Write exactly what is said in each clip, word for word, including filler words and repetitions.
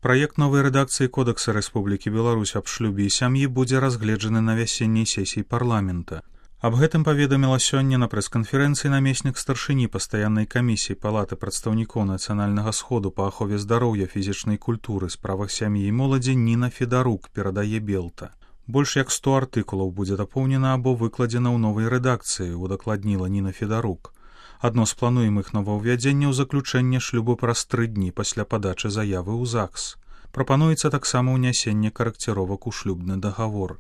Праект новай рэдакцыі Кодекса Рэспублікі Беларусь аб шлюбе і сям'і будзе разгледжаны на вясенняй сесіі парламента. Аб гэтым паведаміла сёння на прэс-канферэнцыі намеснік старшыні пастаяннай камісіі Палаты прадстаўнікоў нацыянальнага сходу па ахове здароўя, фізічнай культуры, справах сям'і і моладзі Ніна Федарук, перадае Белта. Больш як сто артыкулаў будзе дапоўнена або выкладзена ў новай рэдакцыі, удакладніла Ніна Федарук. Адно з плануемых новаўвядзенняў заключэнне шлюбу праз тры дні пасля падачы заявы ў ЗАГС. Прапануецца таксама ўнясенне карэкціровак у шлюбны дагавор.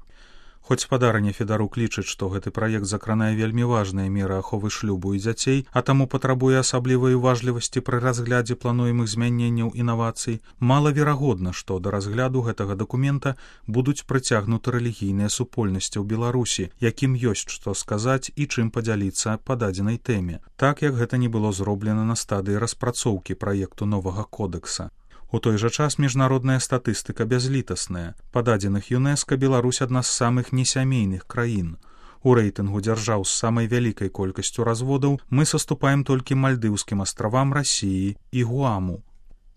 Хоць спадарня Федарук лічыць, што гэты праект закранае вельмі важныя меры аховы шлюбу і дзяцей, а таму патрабуе асаблівай уважлівасці пры разглядзе плануемых змяненняў інавацый, малаверагодна, што да разгляду гэтага дакумента будуць прыцягнуты рэлігійныя супольнасці ў Беларусі, якім ёсць што сказаць і чым падзяліцца па дадзенай тэме, так як гэта не было зроблена на стадыі распрацоўкі праекту новага кодэкса. У той жа час міжнародная статыстыка бязлітасная. Па дадзеных ЮНЕСКА Беларусь адна з самых несямейных краін. У рэйтынгу дзяржаў з самай вялікай колькасцю разводаў мы саступаем толькі мальдыўскім астравам, Расіі і Гуаму.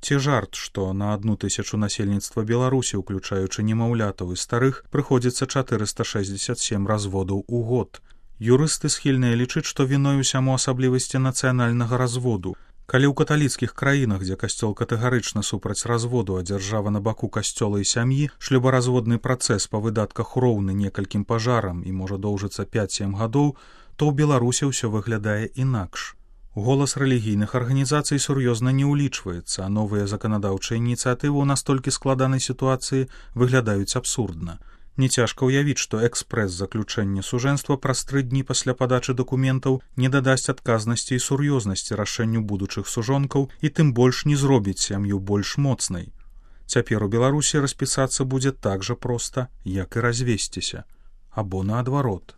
Ці жарт, што на адну тысячу насельніцтва Беларусі, уключаючы немаўлятаў і старых, прыходзіцца чатырыста шэсцьдзесят сем разводаў у год. Юрысты схільныя лічыць, што віной усяму асаблівасці нацыянальнага разводу. Калі ў каталіцкіх краінах, дзе касцёл катэгарычна супраць разводу, а дзяржава на баку касцёла і сям'і, шлюбаразводны працэс па выдатках роўны некалькім пажарам і можа доўжыцца пяць-сем гадоў, то ў Беларусі ўсё выглядае інакш. Голас рэлігійных арганізацый сур'ёзна не ўлічваецца, а новыя заканадаўчыя ініцыятывы ў настолькі складанай сітуацыі выглядаюць абсурдна. Нецяжка ўявіць, што экспрэс-заключэнне сужэнства праз тры дні пасля падачы дакументаў не дадасць адказнасці і сур'ёзнасці рашэнню будучых сужонкаў і тым больш не зробіць сям'ю больш моцнай. Цяпер у Беларусі распісацца будзе так жа проста, як і развесціся. Або наадварот.